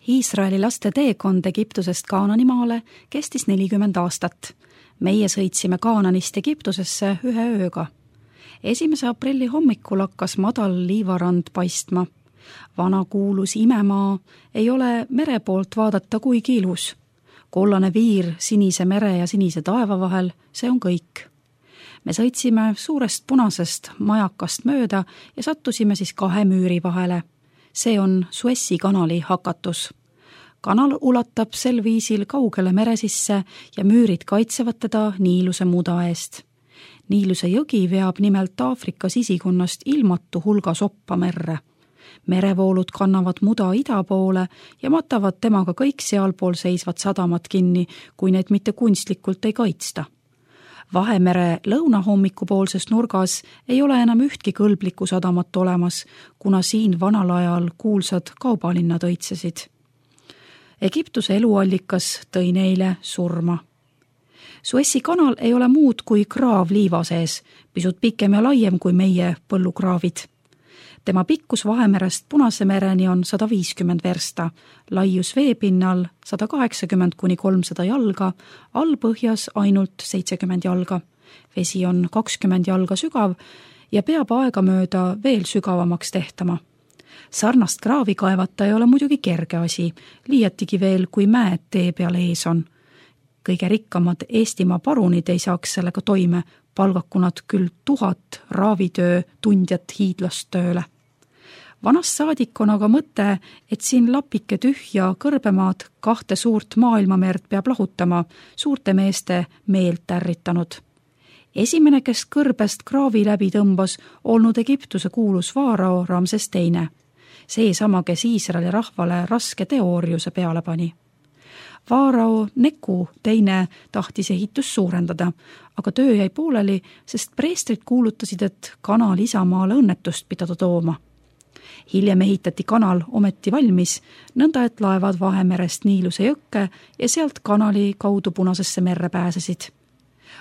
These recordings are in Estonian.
Iisraeli laste teekond Egiptusest Kaananimaale kestis 40 aastat. Meie sõitsime Kaananist Egiptusesse 1 ööga. 1. aprilli hommikul hakkas madal liivarand paistma. Vana kuulus imemaa ei ole mere poolt vaadata kuigi ilus. Kollane viir sinise mere ja sinise taeva vahel, see on kõik. Me sõitsime suurest punasest majakast mööda ja sattusime siis 2 müüri vahele. See on Suessi kanali hakatus. Kanal ulatab sel viisil kaugele mere sisse ja müürid kaitsevad teda Niiluse muda eest. Niiluse jõgi veab nimelt Aafrika sisikonnast ilmatu hulga soppa merre. Merevoolud kannavad muda ida poole ja matavad temaga kõik sealpool seisvad sadamad kinni, kui need mitte kunstlikult ei kaitsta. Vahemere lõunahommikupoolses nurgas ei ole enam ühtki kõlblikku sadamat olemas, kuna siin vanal ajal kuulsad kaubalinnad õitsesid. Egiptuse eluallikas tõi neile surma. Suessi kanal ei ole muud kui kraav liiva sees, pisut pikem ja laiem kui meie põllukraavid. Tema pikkus Vahemerest Punase mereni on 150 versta, laius veepinnal 180–300 jalga, allpõhjas ainult 70 jalga. Vesi on 20 jalga sügav ja peab aegamööda veel sügavamaks tehtama. Sarnast kraavi kaevata ei ole muidugi kerge asi, liiatigi veel, kui mäed tee peal ees on. Kõige rikkamad Eestimaa parunid ei saaks sellega toime, palgaku nad küll 1000 raavitöö tundjat hiidlast tööle. Vanast saadik on aga mõte, et siin lapike tühja kõrbemaad 2 suurt maailmamerd peab lahutama, suurte meeste meelt ärritanud. Esimene, kes kõrbest kraavi läbi tõmbas, olnud Egiptuse kuulus vaarao Ramses II. Seesama, kes Iisraeli rahvale raske teooriuse peale pani. Vaarao Neku II tahtis ehitust suurendada, aga töö jäi pooleli, sest preestrid kuulutasid, et kanal Isamaale õnnetust pidada tooma. Hiljem ehitati kanal ometi valmis, nõnda et laevad Vahemerest Niiluse jõkke ja sealt kanali kaudu Punasesse merre pääsesid.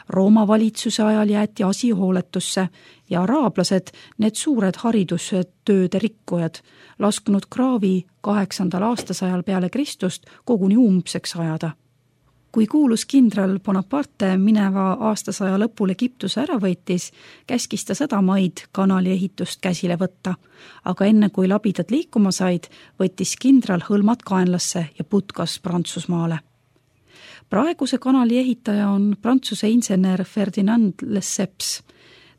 Rooma valitsuse ajal jäeti asi hooletusse ja araablased, need suured haridustööde rikkujad, laskunud kraavi 8. aastasajal peale Kristust koguni umbseks ajada. Kui kuulus kindral Bonaparte mineva aastasaja lõpul Egiptuse ära võitis, käskis ta sadamaid kanali ehitust käsile võtta, aga enne kui labidad liikuma said, võttis kindral hõlmad kaenlasse ja putkas Prantsusmaale. Praeguse kanali ehitaja on Prantsuse insener Ferdinand Lesseps.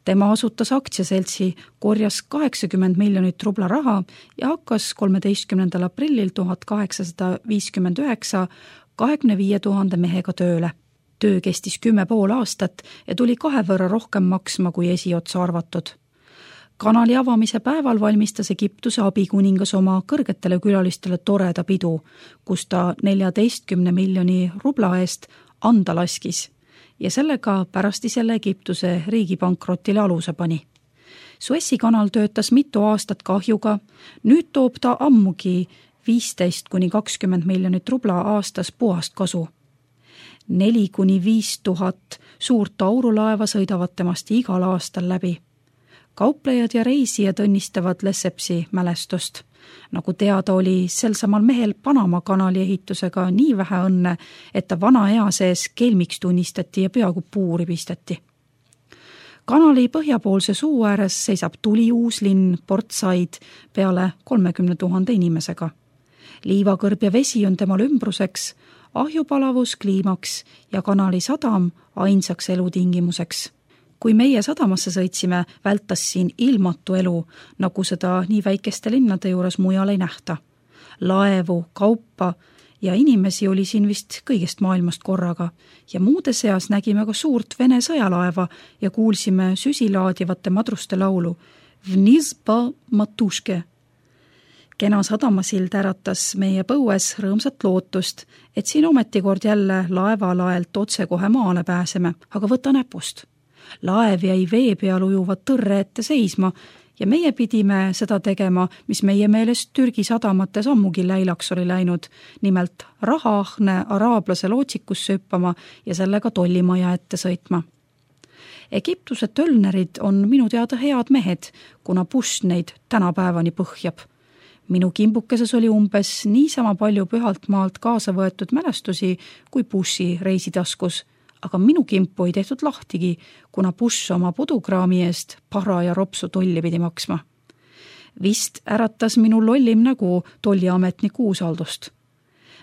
Tema asutas aktsiaseltsi, korjas 80 miljonit rubla raha ja hakkas 13. aprillil 1859 25 000 mehega tööle. Töö kestis 10,5 aastat ja tuli 2 võrra rohkem maksma kui esiotsa arvatud. Kanali avamise päeval valmistas Egiptuse abikuningas oma kõrgetele külalistele toreda pidu, kus ta 14 miljoni rubla eest anda laskis ja sellega pärast isele Egiptuse riigipankrotile aluse pani. Suessi kanal töötas mitu aastat kahjuga, nüüd toob ta ammugi 15–20 miljonit rubla aastas puhast kasu. 4–5 tuhat suurt aurulaeva sõidavad temast igal aastal läbi. Kauplejad ja reisijad õnnistavad Lessepsi mälestust. Nagu teada oli sel samal mehel Panama kanali ehitusega nii vähe õnne, et ta vana ea sees kelmiks tunnistati ja peaaegu puuri pisteti. Kanali põhjapoolse suu ääres seisab tuli uus linn Port Said peale 30 000 inimesega. Liivakõrb ja vesi on temal ümbruseks, ahjupalavus kliimaks ja kanali sadam ainsaks elutingimuseks. Kui meie sadamasse sõitsime, vältas siin ilmatu elu, nagu seda nii väikeste linnade juures mujal ei nähta. Laevu, kaupa ja inimesi oli siin vist kõigest maailmast korraga ja muude seas nägime ka suurt Vene sõjalaeva ja kuulsime süsilaadivate madruste laulu Vniz po matuške. Kena sadamasild äratas meie põues rõõmsat lootust, et siin ometikord jälle laevalaelt otse kohe maale pääseme, aga võta näpust. Laev jäi vee peal ujuva tõrre ette seisma ja meie pidime seda tegema, mis meie meelest Türgi sadamates ammugi läilaks oli läinud, nimelt rahaahne araablase lootsikusse hüppama ja sellega tollimaja ette sõitma. Egiptuse tölnerid on minu teada head mehed, kuna buss neid tänapäevani põhjab. Minu kimbukeses oli umbes niisama palju pühalt maalt kaasa võetud mälestusi kui bussi reisitaskus, aga minu kimpu ei tehtud lahtigi, kuna buss oma pudukraami eest paraja ropsu tolli pidi maksma. Vist äratas minu lollim nägu tolliametniku usaldust.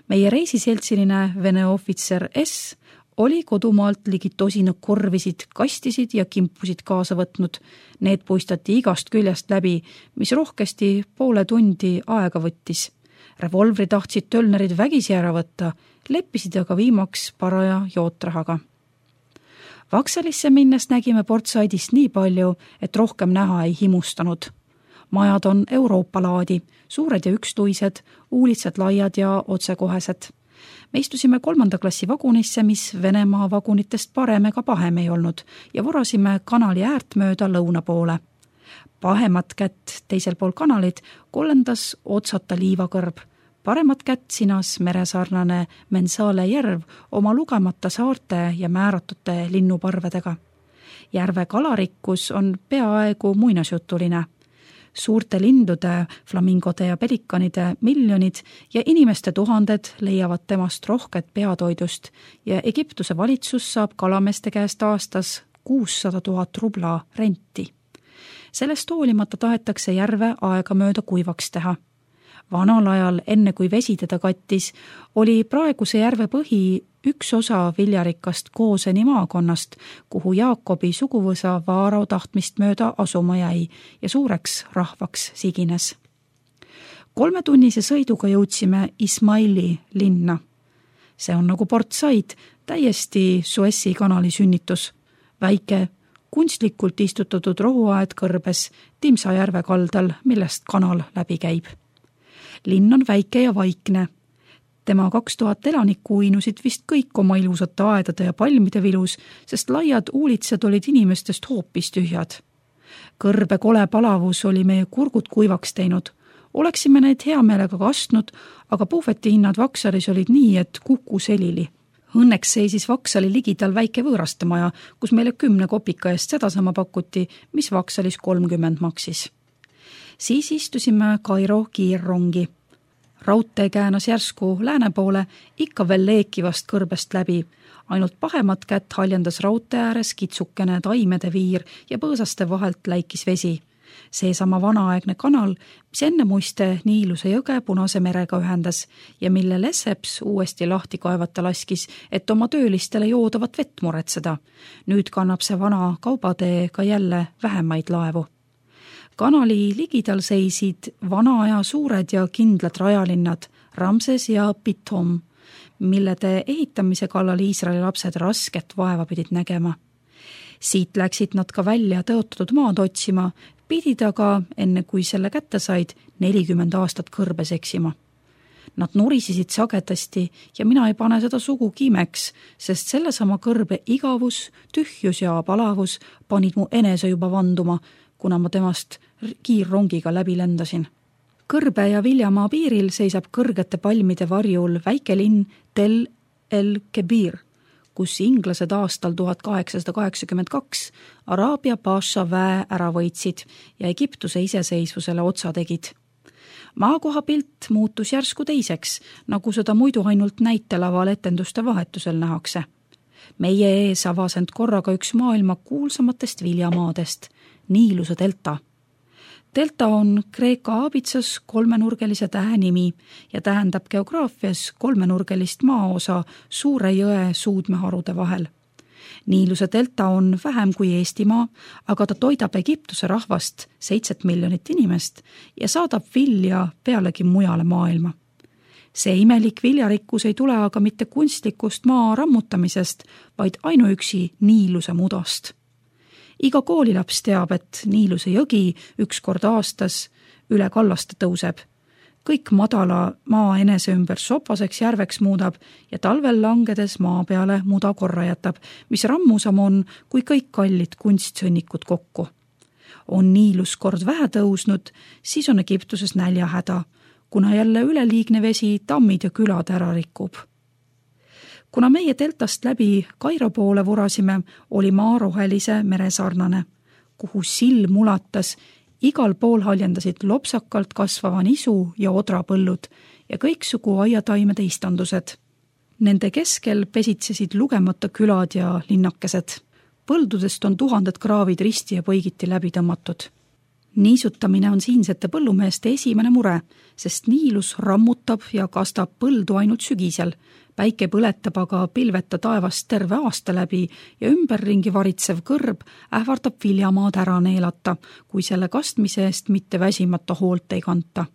Meie reisiseltsiline Vene ohvitser S oli kodumaalt ligi tosina korvisid, kastisid ja kimpusid kaasa võtnud. Need puistati igast küljest läbi, mis rohkesti poole tundi aega võttis. Revolvri tahtsid tölnerid vägisi ära võtta, leppisid aga viimaks paraja jootrahaga. Vaksalisse minnes nägime Portsaidist nii palju, et rohkem näha ei himustanud. Majad on Euroopa laadi, suured ja ükstuised, uulitsed laiad ja otsekohesed. Me istusime 3. klassi vagunisse, mis Venemaa vagunitest parem ega pahem ei olnud ja vorasime kanali äärt mööda lõuna poole. Pahemat kätt teisel pool kanalit kollendas otsata liivakõrb. Paremat kätt sinas meresarnane Mensale järv oma lugemata saarte ja määratute linnuparvedega. Järve kalarikkus on peaaegu muinasjutuline. Suurte lindude, flamingode ja pelikanide miljonid ja inimeste tuhanded leiavad temast rohket peatoidust ja Egiptuse valitsus saab kalameeste käest aastas 600 000 rubla renti. Sellest hoolimata tahetakse järve aega mööda kuivaks teha. Vanal ajal, enne kui vesi teda kattis, oli praeguse järve põhi üks osa viljarikast Kooseni maakonnast, kuhu Jaakobi suguvõsa Vaarau tahtmist mööda asuma jäi ja suureks rahvaks sigines. 3-tunnise sõiduga jõudsime Ismaili linna. See on nagu Port Said, täiesti Suessi kanali sünnitus. Väike, kunstlikult istutatud rohuaed kõrbes Timsa järve kaldal, millest kanal läbi käib. Linn on väike ja vaikne. Tema 2000 elanikku uinusid vist kõik oma ilusate aedade ja palmide vilus, sest laiad uulitsed olid inimestest hoopis tühjad. Kõrbe kole palavus oli meie kurgud kuivaks teinud. Oleksime neid hea meelega kastnud, aga puhvetihinnad Vaksalis olid nii, et kuku selili. Õnneks seisis Vaksali ligidal väike võõrastemaja, kus meile 10 kopika eest sedasama pakuti, mis Vaksalis 30 maksis. Siis istusime Kairo kiirrongi. Raudtee käänas järsku lääne poole, ikka veel leekivast kõrbest läbi. Ainult pahemat kätt haljendas raudtee ääres kitsukene taimede viir ja põõsaste vahelt läikis vesi. Seesama vanaaegne kanal, mis enne muiste Niiluse jõge Punase merega ühendas ja mille Lesseps uuesti lahti kaevata laskis, et oma töölistele joodavat vett muretseda. Nüüd kannab see vana kaubatee ka jälle vähemaid laevu. Kanali ligidal seisid vana aja suured ja kindlad rajalinnad Ramses ja Pithom, millede ehitamise kallal Iisraeli lapsed rasket vaeva pidid nägema. Siit läksid nad ka välja tõotatud maad otsima, pidid aga, enne kui selle kätte said, 40 aastat kõrbes eksima. Nad nurisisid sagedasti ja mina ei pane seda sugugi imeks, sest sellesama kõrbe igavus, tühjus ja palavus panid mu enese juba vanduma, kuna ma temast kiirrongiga läbi lendasin. Kõrbe ja Viljamaa piiril seisab kõrgete palmide varjul väike linn Tel el-Kebir, kus inglased aastal 1882 Araabia Paša väe ära võitsid ja Egiptuse iseseisvusele otsa tegid. Maakohapilt muutus järsku teiseks, nagu seda muidu ainult näitelaval etenduste vahetusel nähakse. Meie ees avas end korraga üks maailma kuulsamatest viljamaadest, Niiluse delta. Delta on Kreeka aabitsas 3-nurgelise tähe nimi ja tähendab geograafias 3-nurgelist maaosa suure jõe suudmeharude vahel. Niiluse delta on vähem kui Eestimaa, aga ta toidab Egiptuse rahvast 7 miljonit inimest ja saadab vilja pealegi mujale maailma. See imelik viljarikkus ei tule aga mitte kunstlikust maa rammutamisest, vaid ainuüksi Niiluse mudast. Iga koolilaps teab, et Niiluse jõgi üks kord aastas üle kallaste tõuseb. Kõik madala maa enese ümber sopaseks järveks muudab ja talvel langedes maa peale muda korra jätab, mis rammusam on kui kõik kallid kunstsõnnikud kokku. On Niilus kord vähe tõusnud, siis on Egiptuses näljahäda, kuna jälle üleliigne vesi tammid ja külad ära rikub. Kuna meie deltast läbi Kairo poole vorasime, oli maa rohelise meresarnane, kuhu silm ulatas Igal pool haljendasid lopsakalt kasvava nisu ja odrapõllud ja kõiksugu aiataimede istandused. Nende keskel pesitsesid lugemata külad ja linnakesed. Põldudest on tuhanded kraavid risti ja põigiti läbi tõmmatud. Niisutamine on siinsete põllumeeste esimene mure, sest niilus rammutab ja kastab põldu ainult sügisel. Päike põletab aga pilveta taevast terve aasta läbi ja ümberringi varitsev kõrb ähvardab viljamaad ära neelata, kui selle kastmise eest mitte väsimata hoolt ei kanta.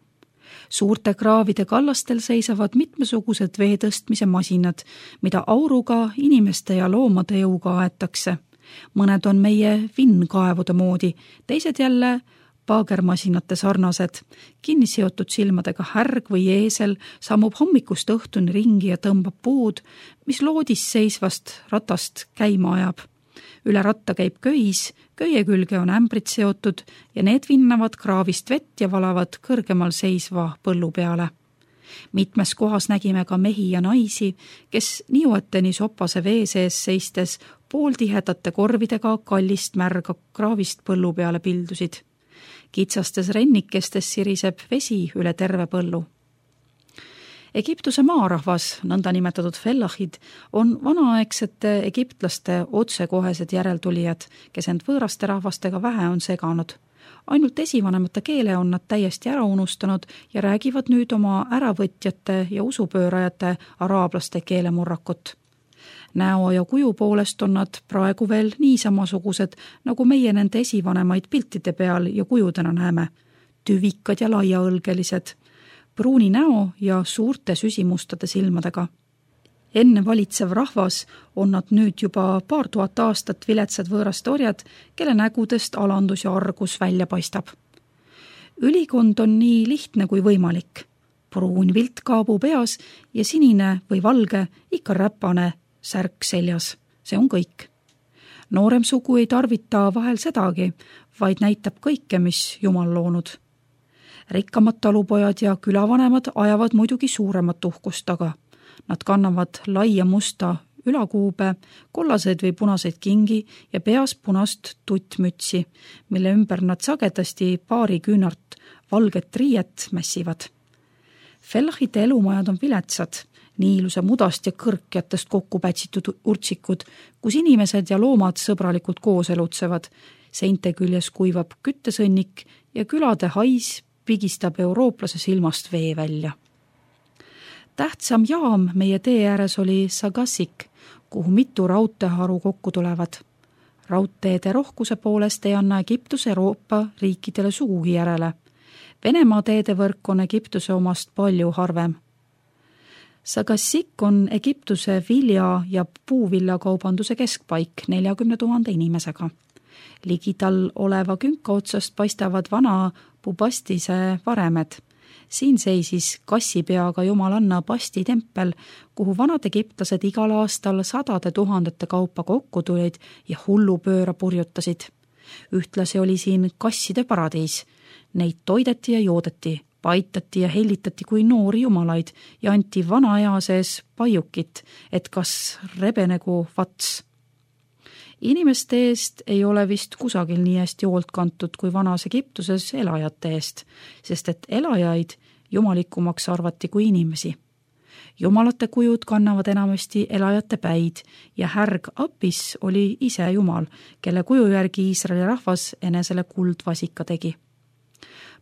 Suurte kraavide kallastel seisavad mitmesugused vee tõstmise masinad, mida auruga inimeste ja loomade jõuga aetakse. Mõned on meie vinnkaevude moodi, teised jälle paagermasinate sarnased. Kinni seotud silmadega härg või eesel sammub hommikust õhtuni ringi ja tõmbab puud, mis loodis seisvast ratast käima ajab. Üle ratta käib köis, köie külge on ämbrid seotud ja need vinnavad kraavist vett ja valavad kõrgemal seisva põllu peale. Mitmes kohas nägime ka mehi ja naisi, kes niueteni sopase vee sees seistes pooltihedate korvidega kallist märga kraavist põllu peale pildusid. Kitsastes rennikestes siriseb vesi üle terve põllu. Egiptuse maarahvas, nõnda nimetatud fellahid, on vanaaegsete egiptlaste otsekohesed järeltulijad, kes end võõraste rahvastega vähe on seganud. Ainult esivanemate keele on nad täiesti ära unustanud ja räägivad nüüd oma äravõtjate ja usupöörajate araablaste keelemurrakut. Näo ja kuju poolest on nad praegu veel nii samasugused, nagu meie nende esivanemaid piltide peal ja kujudena näeme. Tüvikad ja laiaõlgelised, pruuni näo ja suurte süsimustade silmadega. Enne valitsev rahvas on nad nüüd juba paar tuhat aastat viletsad võõraste orjad, kelle nägudest alandus ja argus välja paistab. Ülikond on nii lihtne kui võimalik. Pruun viltkaabu peas ja sinine või valge, ikka räpane särk seljas. See on kõik. Noorem sugu ei tarvita vahel sedagi, vaid näitab kõike, mis Jumal loonud. Rikkamad talupojad ja külavanemad ajavad muidugi suuremat uhkust taga. Nad kannavad laia musta ülakuube, kollaseid või punaseid kingi ja peas punast tuttmütsi, mille ümber nad sagedasti paari küünart valget riiet mässivad. Fellahite elumajad on viletsad, niiluse mudast ja kõrkjatest kokku pätsitud urtsikud, kus inimesed ja loomad sõbralikult koos elutsevad. Seinte küljes kuivab küttesõnnik ja külade hais pigistab eurooplase silmast vee välja. Tähtsam jaam meie tee ääres oli Sagassik, kuhu mitu raudteeharu kokku tulevad. Raudteede rohkuse poolest ei anna Egiptus Euroopa riikidele sugugi järele. Venemaa teedevõrk on Egiptuse omast palju harvem. Sagassik on Egiptuse vilja- ja puuvillakaubanduse keskpaik 40 000 inimesega. Ligital oleva künka otsast paistavad vana Bubastise varemed. Siin seisis kassipeaga jumalanna Basti tempel, kuhu vanad egiptlased igal aastal 100 000 kaupa kokku tulid ja hullupööra purjutasid. Ühtlasi oli siin kasside paradiis. Neid toideti ja joodeti, paitati ja hellitati kui noori jumalaid ja anti vana ea sees paiukit, et kas rebenegu vats. Inimeste eest ei ole vist kusagil nii hästi hoolt kantud kui vanas Egiptuses elajate eest, sest et elajaid jumalikumaks arvati kui inimesi. Jumalate kujud kannavad enamasti elajate päid ja härg Apis oli ise jumal, kelle kuju järgi Iisraeli rahvas enesele kuldvasika tegi.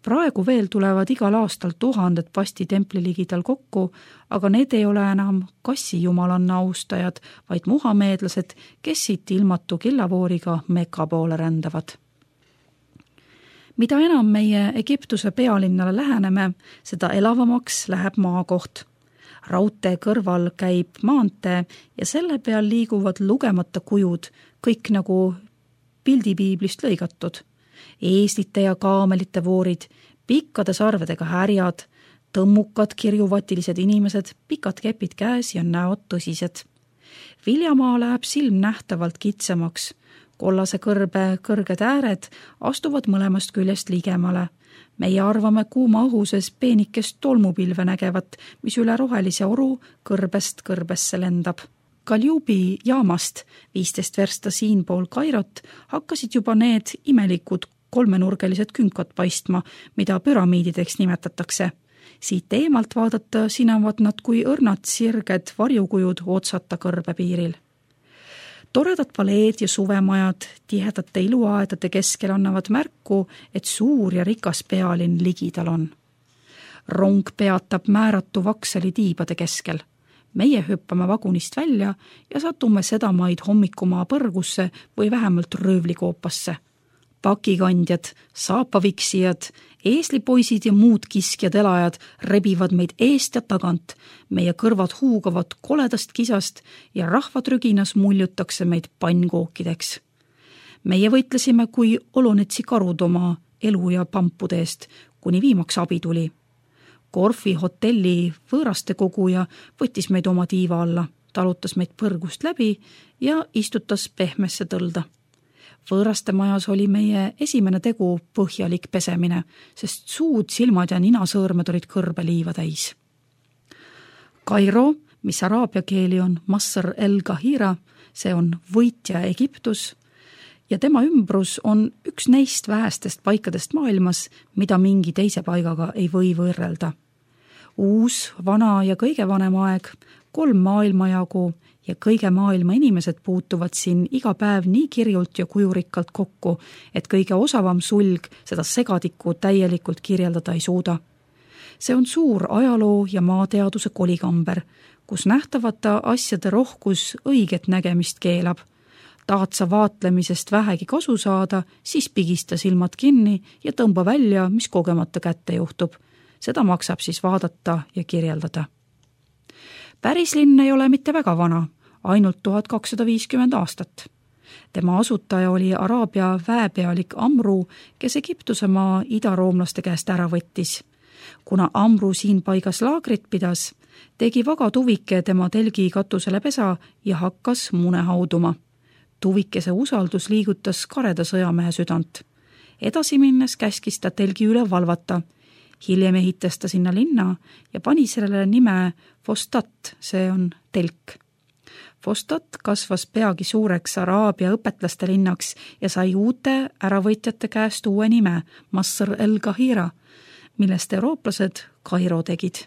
Praegu veel tulevad igal aastal 1000 Basti templi ligidal kokku, aga need ei ole enam kassi jumalanna austajad, vaid muhameedlased, kes siit ilmatu killavooriga Mekka poole rändavad. Mida enam meie Egiptuse pealinnale läheneme, seda elavamaks läheb maakoht. Raudtee kõrval käib maantee ja selle peal liiguvad lugemata kujud, kõik nagu pildipiiblist lõigatud. Eeslite ja kaamelite voorid, pikkade sarvedega härjad, tõmmukad kirjuvatilised inimesed, pikad kepid käes ja näod tõsised. Viljamaa läheb silm nähtavalt kitsamaks. Kollase kõrbe kõrged ääred astuvad mõlemast küljest ligemale. Meie arvame kuuma õhuses peenikest tolmupilve nägevat, mis üle rohelise oru kõrbest kõrbesse lendab. Kaljubi jaamast 15 versta siinpool Kairot hakkasid juba need imelikud kolmenurgelised künkad paistma, mida püramiidideks nimetatakse. Siit eemalt vaadata sinavad nad kui õrnad sirged varjukujud otsata kõrbepiiril. Toredad paleed ja suvemajad tihedate iluaedade keskel annavad märku, et suur ja rikas pealinn ligidal on. Rong peatab määratu Vaksali tiibade keskel. Meie hüppame vagunist välja ja satume sedamaid hommikumaa põrgusse või vähemalt röövlikoopasse. Pakikandjad, saapaviksijad, eeslipoisid ja muud kiskjad elajad rebivad meid eest ja tagant, meie kõrvad huugavad koledast kisast ja rahvatrüginas muljutakse meid pannkookideks. Meie võitlesime kui Olonetsi karud oma elu ja pampude eest, kuni viimaks abi tuli. Korfi hotelli võõraste koguja võttis meid oma tiiva alla, talutas meid põrgust läbi ja istutas pehmesse tõlda. Võõraste majas oli meie esimene tegu põhjalik pesemine, sest suud, silmad ja ninasõõrmed olid kõrbeliiva täis. Kairo, mis araabia keeli on Masr el-Kahira, see on võitja Egiptus, ja tema ümbrus on üks neist vähestest paikadest maailmas, mida mingi teise paigaga ei või võrrelda. Uus, vana ja kõige vanem aeg, 3 maailmajagu ja kõige maailma inimesed puutuvad siin iga päev nii kirjult ja kujurikkalt kokku, et kõige osavam sulg seda segadikku täielikult kirjeldada ei suuda. See on suur ajaloo ja maateaduse kolikamber, kus nähtavate asjade rohkus õiget nägemist keelab. Tahad sa vaatlemisest vähegi kasu saada, siis pigista silmad kinni ja tõmba välja, mis kogemata kätte juhtub. Seda maksab siis vaadata ja kirjeldada. Päris linn ei ole mitte väga vana, ainult 1250 aastat. Tema asutaja oli Araabia väepealik Amru, kes Egiptuse maa idaroomlaste käest ära võttis. Kuna Amru siin paigas laagrit pidas, tegi vaga tuvike tema telgi katusele pesa ja hakkas mune hauduma. Tuvikese usaldus liigutas kareda sõjamehe südant. Edasi minnes käskis ta telgi üle valvata. Hiljem ehitas ta sinna linna ja pani sellele nime Fostat, see on telk. Fostat kasvas peagi suureks Araabia õpetlaste linnaks ja sai uute äravõitjate käest uue nime Masr el-Kahira, millest eurooplased Kairo tegid.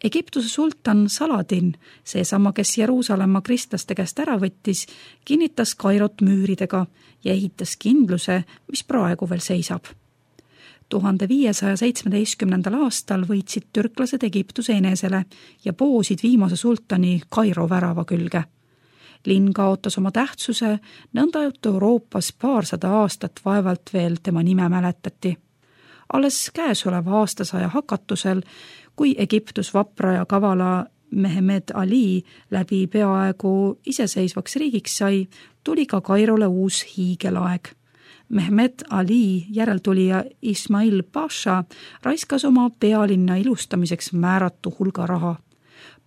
Egiptuse sultan Saladin, seesama, kes Jeruusalemma kristlaste käest ära võttis, kinnitas Kairot müüridega ja ehitas kindluse, mis praegu veel seisab. 1517. aastal võitsid türklased Egiptuse enesele ja poosid viimase sultani Kairo värava külge. Linn kaotas oma tähtsuse, nõnda et Euroopas 200 aastat vaevalt veel tema nime mäletati. Alles käesoleva aastasaja hakatusel, kui Egiptus vapra ja kavala Mehmed Ali läbi peaaegu iseseisvaks riigiks sai, tuli ka Kairole uus hiigelaeg. Mehmed Ali järeltulija Ismail Pasha raiskas oma pealinna ilustamiseks määratu hulga raha.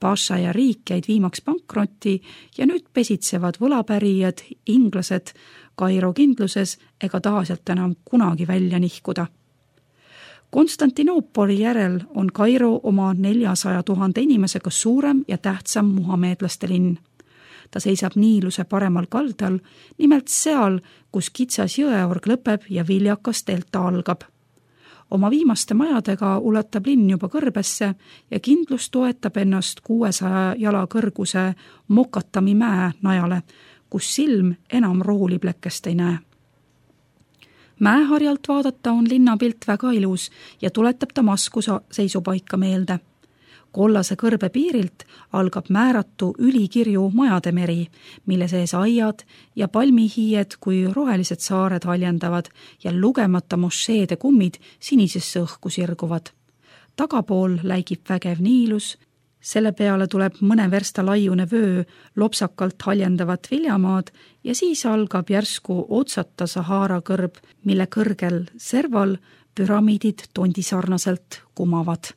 Pasha ja riik jäid viimaks pankrotti ja nüüd pesitsevad võlapärijad, inglased Kairo kindluses ega taha sealt enam kunagi välja nihkuda. Konstantinoopoli järel on Kairo oma 400 000 inimesega suurem ja tähtsam muhameedlaste linn. Ta seisab Niiluse paremal kaldal, nimelt seal, kus kitsas jõeorg lõpeb ja viljakas delta algab. Oma viimaste majadega ulatab linn juba kõrbesse ja kindlus toetab ennast 600 jala kõrguse Mokatami mäe najale, kus silm enam rooliplekest ei näe. Mäeharjalt vaadata on linnapilt väga ilus ja tuletab Damasku seisupaika meelde. Kollase kõrbe piirilt algab määratu ülikirju majade meri, mille sees aiad ja palmihiied kui rohelised saared haljendavad ja lugemata mošeede kummid sinisesse õhku sirguvad. Tagapool läigib vägev Niilus, selle peale tuleb mõne versta laiune vöö lopsakalt haljendavad viljamaad ja siis algab järsku otsata Sahara kõrb, mille kõrgel serval püramiidid tondisarnaselt kumavad.